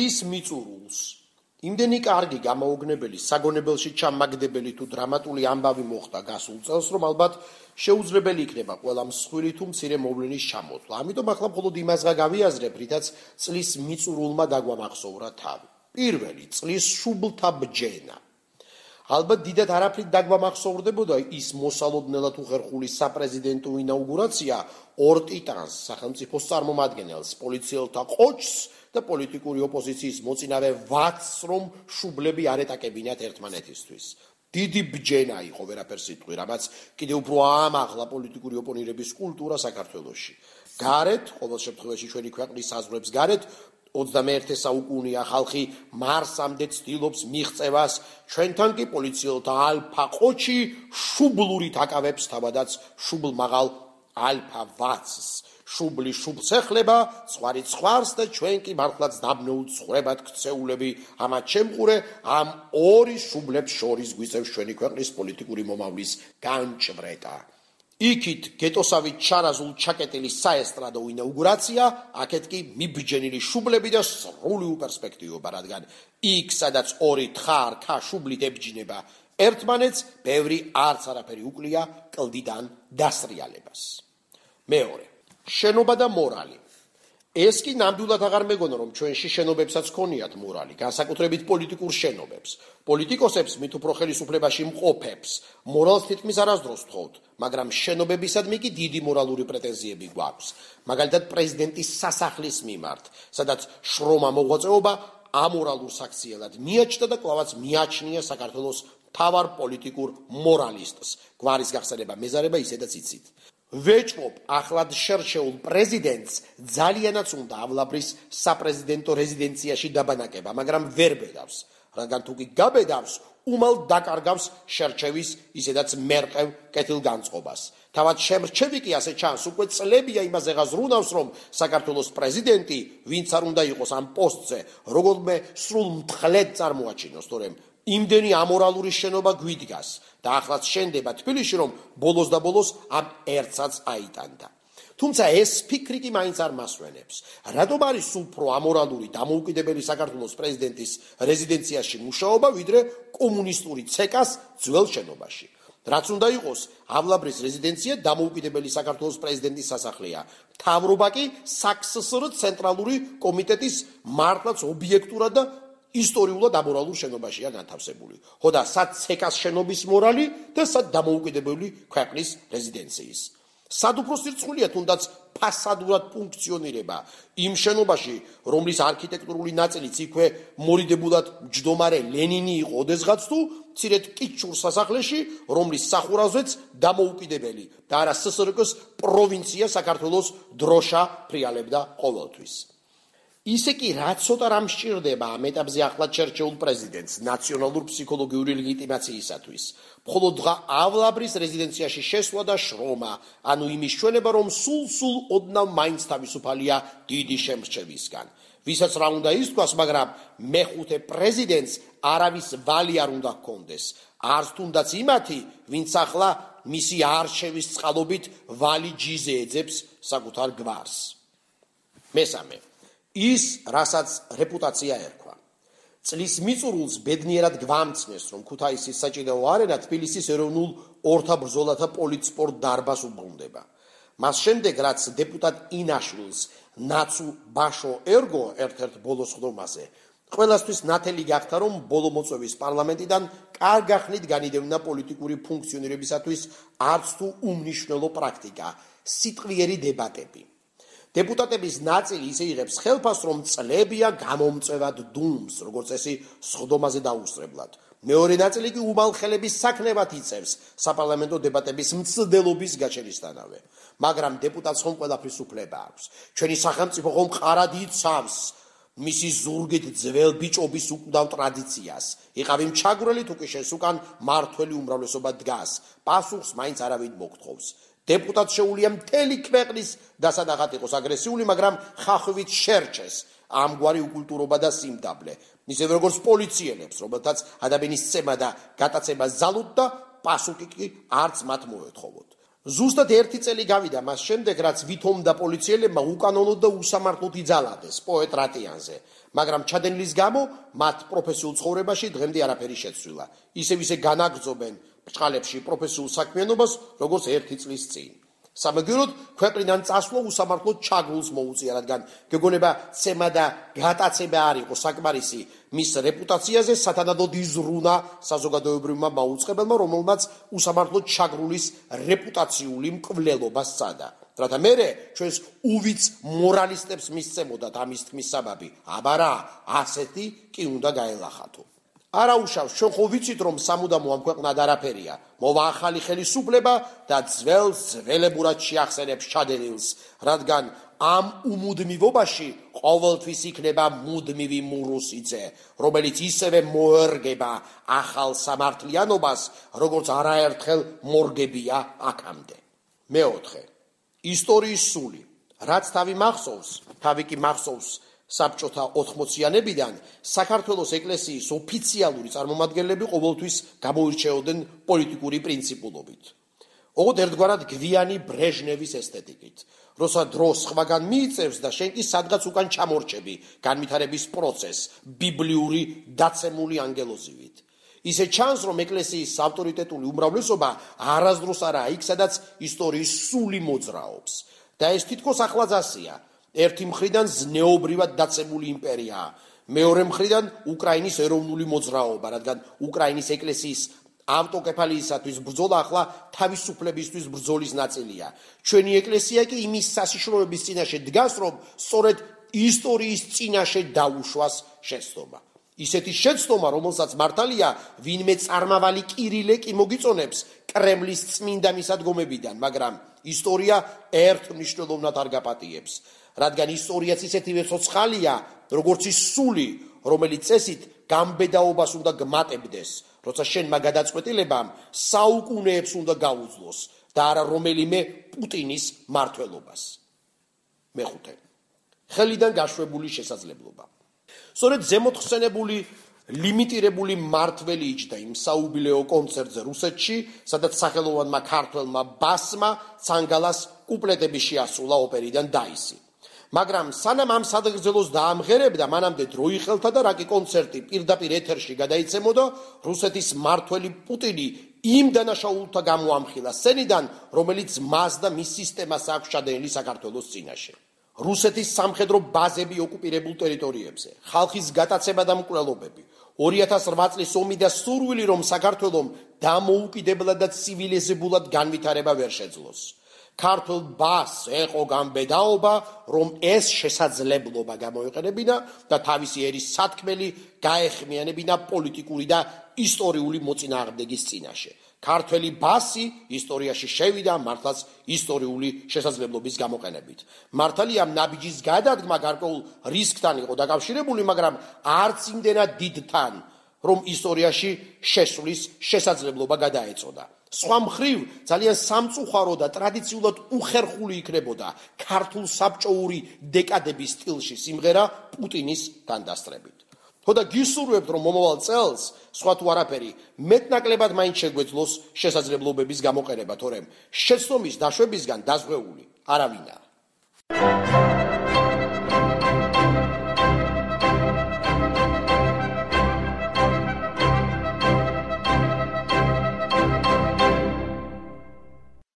წლის მიწურულს იმდენი კარგი გამოუგნებელი საგონებელში ჩამაგდებელი თუ დრამატული ამბავი მოხდა გასულ წელს, რომ ალბათ შეუძლებელი იქნება ყველა მსხვილი თუ მცირე მოვლენის ჩამოთვლა. ამიტომ ახლა მხოლოდ იმასღა გავიაზრებ, რითაც წლის მიწურულმა დაგვამახსოვრა თავი. პირველი წლის შუბლთა ბჯენა. ალბათ დიდად არაფრით დაგვამახსოვრდებოდა ის მოსალოდნელად უხერხული საპრეზიდენტო ინაუგურაცია ორ ტიტანს, სახელმწიფოს წარმომადგენელს, პოლიციელთა ყოჩს და პოლიტიკური ოპოზიციის მოწინავე ვაცს, რომ შუბლები არ ეტაკებინათ ერთმანეთისთვის. დიდი ბჯენა იყო, ვერაფერს იტყვი, რამაც კიდევ უფრო აამაღლა პოლიტიკური ოპონირების კულტურა საქართველოში. გარეთ, ყოველ შემთხვევაში ჩვენი ქვეყნის საზღვრებს გარეთ, 21 საუკუნეა ხალხი მარსამდე ცდილობს მიღწევას, ჩვენთან კი პოლიციელთა ალფა ყოჩი შუბლურით აკავებს თავადაც შუბლმაღალ ალფა ვაცს. შუბლი შუბლს ეხლება, ცხვარი ცხვარს და ჩვენ კი მართლაც დაბნეულ ცხრებად ქცეულები ამათ შემყურე ამ ორი შუბლებს შორის გვიწევს ჩვენი ქვეყნის პოლიტიკური მომავლის განჭვრეტა. იქით გეტოსავით ჩარაზულ ჩაკეტილი საესტრადო ინაუგურაცია, აქეთ კი მიბჯენილი შუბლები და სრული უპერსპექტივობა, რადგან იქ, სადაც ორი თხარ-ქა შუბლით ებჯინება ერთმანეთს, ბევრი არც არაფერი უკლია კლდიდან დასრიალებას. მეორე. შენობა და მორალი. ეს კი ნამდვილად აღარ მეგონა, რომ ჩვენში შენობებსაც ქონიათ მორალი, განსაკუთრებით პოლიტიკურ შენობებს. პოლიტიკოსებს მით უფრო ხელისუფლებაში მყოფებს მორალს თითქმის არასდროს თხოვთ, მაგრამ შენობებისადმი კი დიდი მორალური პრეტენზიები გვაქვს. მაგალითად, პრეზიდენტის სასახლის მიმართ, სადაც შრომა მოღვაწეობა ამორალურ საქციელად მიაჩნდა და კვლავაც მიაჩნია საქართველოს მთავარ პოლიტიკურ მორალისტს. გვარის გახსნება მეზარება ისედაც იცით. ვეჭვობ ახლად შერჩეულ პრეზიდენტს ძალიანაც უნდა ავლაბრის საპრეზიდენტო რეზიდენციაში დაბანაკება, მაგრამ ვერ ბედავს, რადგან თუ კი გაბედავს, უმალ დაკარგავს შერჩევის ისედაც მერყევ კეთილგანწყობას. თავად შემრჩევი კი ასე ჩანს, უკვე წლებია იმაზე ღაზრუნავს, რომ საქართველოს პრეზიდენტი, ვინც არ უნდა იყოს ამ პოსტზე, როგორმე სრულ მთლედ წარმოაჩინოს, თორემ იმდენი ამორალური შენობა გვიდგას და ახლაც შენდება თბილისში, რომ ბოლოს და ბოლოს ამ ერთსაც აიტანდა. თუმცა ეს ფიქრი კი მაინც არ მასვენებს. რატომ არის სულ უფრო ამორალური დამოუკიდებელი საქართველოს პრეზიდენტის რეზიდენციაში მუშაობა, ვიდრე კომუნისტური ცეკას ძველ შენობაში? რაც უნდა იყოს, ავლაბრის რეზიდენცია დამოუკიდებელი საქართველოს პრეზიდენტის სასახლეა. მთავრობა კი საქსსრ ცენტრალური კომიტეტის მართლაც ობიექტურად და ისტორიულად ამორალურ შენობაშია განთავსებული. ხო და სად ცეკას შენობის მორალი და სად დამოუკიდებელი ქვეყნის რეზიდენციის. სად უფრო სირცხულია თუნდაც ფასადურად ფუნქციონირება იმ შენობაში, რომლის არქიტექტურული ნაწილიც იქვე მორიდებულად მჯდომარე ლენინი იყო ოდესღაც თუ მცირედ კიჩურ სასახლეში, რომლის სახურავზეც დამოუკიდებელი და არა ssrk-ს პროვინცია საქართველოს დროშა ფრიალებდა ყოველთვის. ისე კი რა ცოტა რამ სჭირდება ამ ეტაპზე ახლად შერჩეულ პრეზიდენტს ნაციონალურ ფსიქოლოგიური ლეგიტიმაციისათვის. მხოლოდ დღა ავლაბრის რეზიდენციაში შესვლა და შრომა, ანუ იმის ჩვენება, რომ სულ ოდნავ მაინც თავისუფალია დიდი შემრჩევისგან. ვისაც რა უნდა ისთქვას, მაგრამ მეხუთე პრეზიდენტს არავის ვალი არ უნდა ჰქონდეს. არც თუნდაც იმათი, ვინც ახლა მისი არჩევის წყალობით ვალი ჯიზე ეძებს საკუთარ გვარს. მესამე. ის, რასაც რეპუტაცია ერქვა. წლის მიწურულს ბედნიერად გვამცნეს, რომ ქუთაისის საჭიდაო არენა თბილისის ეროვნულ ორთაბრძოლათა პოლიტსპორტ დარბაზს უბრუნდება. მას შემდეგ, რაც დეპუტატ ინაშვილს ნაცუ ბაშო ერგო ერთ-ერთ ბოლო სხდომაზე, ყველასთვის ნათელი გახდა, რომ ბოლო მოწვევის პარლამენტიდან კარგახნით განიდევნა პოლიტიკური ფუნქციონირებისათვის არც თუ უმნიშვნელო პრაქტიკა, სიტყვიერი დებატები. დეპუტატების ნაწილი ისე იღებს ხელფასს, რომ წლებია გამომწვევად დუმს, როგორც წესი სხდომაზე დაუსწრებლად. მეორე ნაწილი კი უმალ ხელების საქმნებად იწევს საპარლამენტო დებატების მცდელობის გაჩენისთანავე. მაგრამ დეპუტატს ხომ ყველაფრის უფლება აქვს. ჩვენი სახელმწიფო ხომ ყარად იცავს მისი ზურგით ძველ ბიჭობის უკვდავ ტრადიციას. იყავი მჩაგვრელი თუ კი შენს უკან მართველი უმრავლესობა დგას. პასუხს მაინც არავინ მოგთხოვს. დეპუტატს შეუძლია მთელი ქვეყნის დასადაღად იყოს აგრესიული, მაგრამ ხახვით შერჩეს ამგვარი უკულტურობა და სიმდაბლე. ისევე როგორც პოლიციელებს, რომელთაც ადამიანის წემა და გატაცება ზალოთ და პასუხი კი არც მათ მოეთხოვოთ. ზუსტად 1 წელი გავიდა მას შემდეგ, რაც ვითომ და პოლიციელებმა უკანონოდ და უსამართლოდ იძალადეს პოეტ რატიანზე, მაგრამ ჩადენილის გამო მათ პროფესიულ ცხოვრებაში დღემდე არაფერი შეცვლილა. ისე განაგრძობენ ბრჭყალებში პროფესიულ საქმიანობას, როგორც 1 წლის წინ. სამაგიეროდ ქვეყნიდან წასვლა უსამართლოდ ჩაგრულს მოუწია, რადგან გეგონება ცემა და გატაცება არ იყო საკმარისი მის რეპუტაციაზე, სათანადოდ იზრუნა საზოგადოებრივმა მაუწყებელმა, რომელმაც უსამართლოდ ჩაგრულის რეპუტაციული მკვლელობა სცადა. რათა მერე ჩვენს უვიც მორალისტებს მისცემოდათ ამის თქმის საბაბი, აბა რა, ასეთი კი უნდა გაელახათო. არაუშავს, ჩვენ ხო ვიცით, რომ სამუდამო ამ ქვეყნად არაფერია, მოვა ახალი ხელისუფლება და ძველებურად შეახსენებს ჩადენილს, რადგან ამ უმუდმივობაში ყოველთვის იქნება მუდმივი მურუსიძე, რომელიც ისევე მოერგება ახალ სამართლიანობას, როგორც არაერთხელ მორგებია აქამდე. მეოთხე, ისტორიის სული, რაც თავი კი მახსოვს საბჭოთა 80-იანებიდან საქართველოს ეკლესიის ოფიციალური წარმომადგენლები ყოველთვის გამოირჩეოდნენ პოლიტიკური პრინციპულობით. ოღონდ ერთგვარად გვიანი ბრეჟნევის ესთეტიკით, როცა დრო სხვაგან მიიწევს და შენ კი სადღაც უკან ჩამორჩები განვითარების პროცესს ბიბლიური დაცემული ანგელოზივით. ისე ჩანს, რომ ეკლესიის ავტორიტეტული უმრავლესობა არასდროს არაა იქ, სადაც ისტორიის სული მოძრაობს და ეს თითქოს ახლაძასია. ერთი მხრიდან ზნეობრივად დაცემული იმპერიაა, მეორე მხრიდან უკრაინის ეროვნული მოძრაობა, რადგან უკრაინის ეკლესიის ავტოკეფალიისათვის ბრძოლა ახლა თავისუფლებისთვის ბრძოლის ნაწილია. ჩვენი ეკლესია კი იმის სასიშროების წინაშე დგას, რომ სწორედ ისტორიის წინაშე დაუშვას შეცდომა. ისეთი შეცდომა, რომელსაც მართალია ვინმე წარმავალი კირილე კი მოგიწონებს კრემლის წმინდა მისადგომებიდან, მაგრამ ისტორია ერთ მნიშვნელოვნად არ გაპატიებს. რადგან ისტორიაც ისეთივე ცოცხალია, როგორც ის სული, რომელიც წესით გამბედაობას უნდა გმატებდეს, როცა შენმა გადაწყვეტილებამ საუკუნეებს უნდა გაუძლოს და არა რომელიმე პუტინის მმართველობას. მეხუთე, ხელიდან გაშვებული შესაძლებლობა. სწორედ ზემოთ ხსენებული ლიმიტირებული მმართველი იჯდა იმ საუბილეო კონცერტზე რუსეთში, სადაც სახელოვანმა ქართველმა ბასმა ცანგალას კუპლეტები შეასრულა ოპერიდან დაისი. მაგრამ სანამ ამ სადღეგრძელოს დაამღერებდა, მანამდე დრო იხელთა და რაკი კონცერტი პირდაპირ ეთერში გადაიცემოდა, რუსეთის მმართველი პუტინი იმ დანაშაულთა გამოამხილა სცენიდან, რომელიც მას და მის სისტემას აქვს ჩადენილი საქართველოს წინაშე. რუსეთის სამხედრო ბაზები ოკუპირებულ ტერიტორიებზე, ხალხის გატაცება და მკვლელობები, 2008 წლის ომი და სურვილი, რომ საქართველომ დამოუკიდებლად და ცივილიზებულად განვითარება ვერ შეძლოს. ქართულ ბასს ეყო გამბედაობა, რომ ეს შესაძლებლობა გამოიყენებინა და თავისი ერის სათქმელი გაეხმიანებინა პოლიტიკური და ისტორიული მოწინააღმდეგის წინაშე. ქართველი ბასი ისტორიაში შევიდა მართლაც ისტორიული შესაძლებლობის გამოყენებით. მართალია ნაბიჯის გადადგმა გარკვეულ რისკთან იყო დაკავშირებული, მაგრამ არც იმდენად დიდთან, რომ ისტორიაში შესვლის შესაძლებლობა გადაეწოდა. სხვა მხრივ, ძალიან სამწუხარო და ტრადიციულად უხერხული იქნებოდა ქართულ საბჭოური დეკადების სტილში სიმღერა პუტინის თანდასწრებით. თორე გისურვებთ, რომ მომავალ წელს, სხვა თუ არაფერი, მეტნაკლებად მაინც შეგვეძლოს შესაძლებლობების გამოყენება, თორემ შეცდომის დაშვებისგან დაზღვეული არავინაა.